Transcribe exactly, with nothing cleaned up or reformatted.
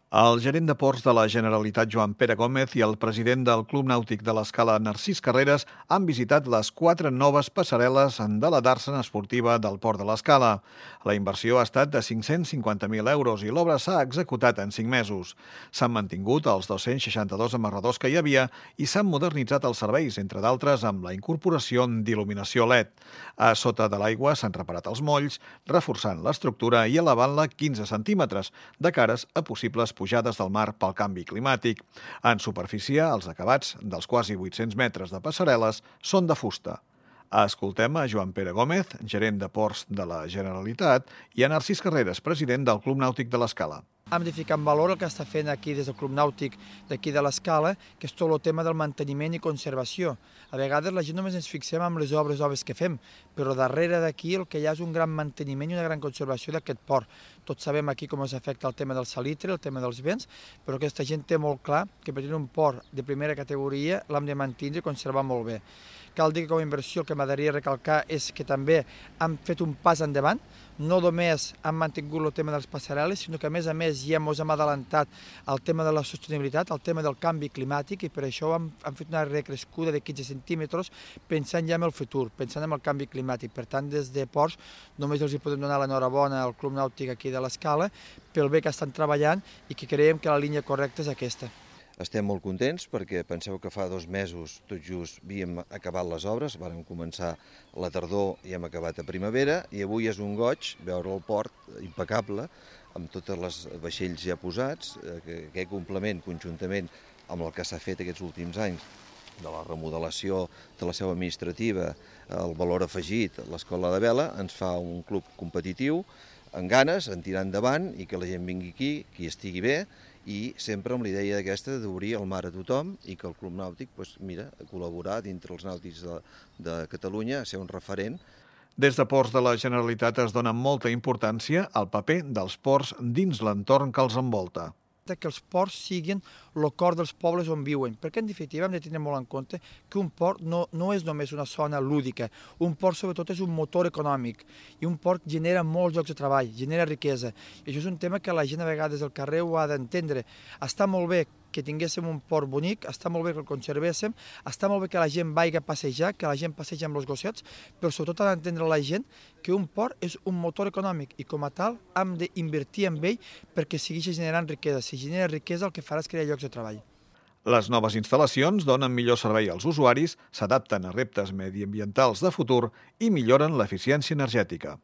El gerent de ports de la Generalitat, Joan Pere Gómez, i el president del Club Nàutic de l'Escala, Narcís Carreras, han visitat les quatre noves passarel·les de la dàrsena esportiva del Port de l'Escala. La inversió ha estat de cinc-cents cinquanta mil euros i l'obra s'ha executat en cinc mesos. S'han mantingut els dos-cents seixanta-dos amarradors que hi havia i s'han modernitzat els serveis, entre d'altres amb la incorporació d'il·luminació L E D. A sota de l'aigua s'han reparat els molls, reforçant l'estructura i elevant-la quinze centímetres, de cares a possibles pujades del mar pel canvi climàtic. En superfície, els acabats dels quasi vuit-cents metres de passarel·les són de fusta. Escoltem a Joan Pere Gómez, gerent de ports de la Generalitat, i a Narcís Carreras, president del Club Nàutic de l'Escala. Hem de ficar en valor el que està fent aquí des del Club Nàutic d'aquí de l'Escala, que és tot el tema del manteniment i conservació. A vegades la gent només ens fixem en les obres obres que fem, però darrere d'aquí el que hi ha és un gran manteniment i una gran conservació d'aquest port. Tots sabem aquí com ens afecta el tema del salitre, el tema dels vents, però aquesta gent té molt clar que per tenir un port de primera categoria l'hem de mantenir i conservar molt bé. Cal dir que com a inversió el que m'agradaria recalcar és que també hem fet un pas endavant, no només hem mantingut el tema de les passarel·les, sinó que a més a més ja ens hem adelantat al tema de la sostenibilitat, al tema del canvi climàtic, i per això hem, hem fet una recrescuda de quinze centímetres pensant ja en el futur, pensant en el canvi climàtic. Per tant, des de Ports només els hi podem donar l'enhorabona al Club Nàutic aquí de l'Escala pel bé que estan treballant i que creiem que la línia correcta és aquesta. Estem molt contents perquè penseu que fa dos mesos tot just havíem acabat les obres, vàrem començar a la tardor i hem acabat a primavera, i avui és un goig veure el port impecable, amb totes les vaixells ja posats, que aquest complement conjuntament amb el que s'ha fet aquests últims anys, de la remodelació de la seu administrativa, el valor afegit, l'escola de vela, ens fa un club competitiu, amb ganes, en tirar endavant i que la gent vingui aquí, qui estigui bé, i sempre amb la idea aquesta d'obrir el mar a tothom i que el Club Nàutic, doncs, mira, col·laborar dintre els nàutics de, de Catalunya, a ser un referent. Des de Ports de la Generalitat es dona molta importància al paper dels ports dins l'entorn que els envolta. Que els ports siguin el cor dels pobles on viuen, perquè en definitiva hem de tenir molt en compte que un port no, no és només una zona lúdica, un port sobretot és un motor econòmic i un port genera molts llocs de treball, genera riquesa, i això és un tema que la gent a vegades al carrer ho ha d'entendre. Està molt bé que tinguéssim un port bonic, està molt bé que el conservéssim, està molt bé que la gent vagi a passejar, que la gent passegi amb els gossets, però sobretot ha d'entendre la gent que un port és un motor econòmic i com a tal hem d'invertir en ell perquè segueixi generant riquesa. Si genera riquesa el que farà és crear llocs de treball. Les noves instal·lacions donen millor servei als usuaris, s'adapten a reptes mediambientals de futur i milloren l'eficiència energètica.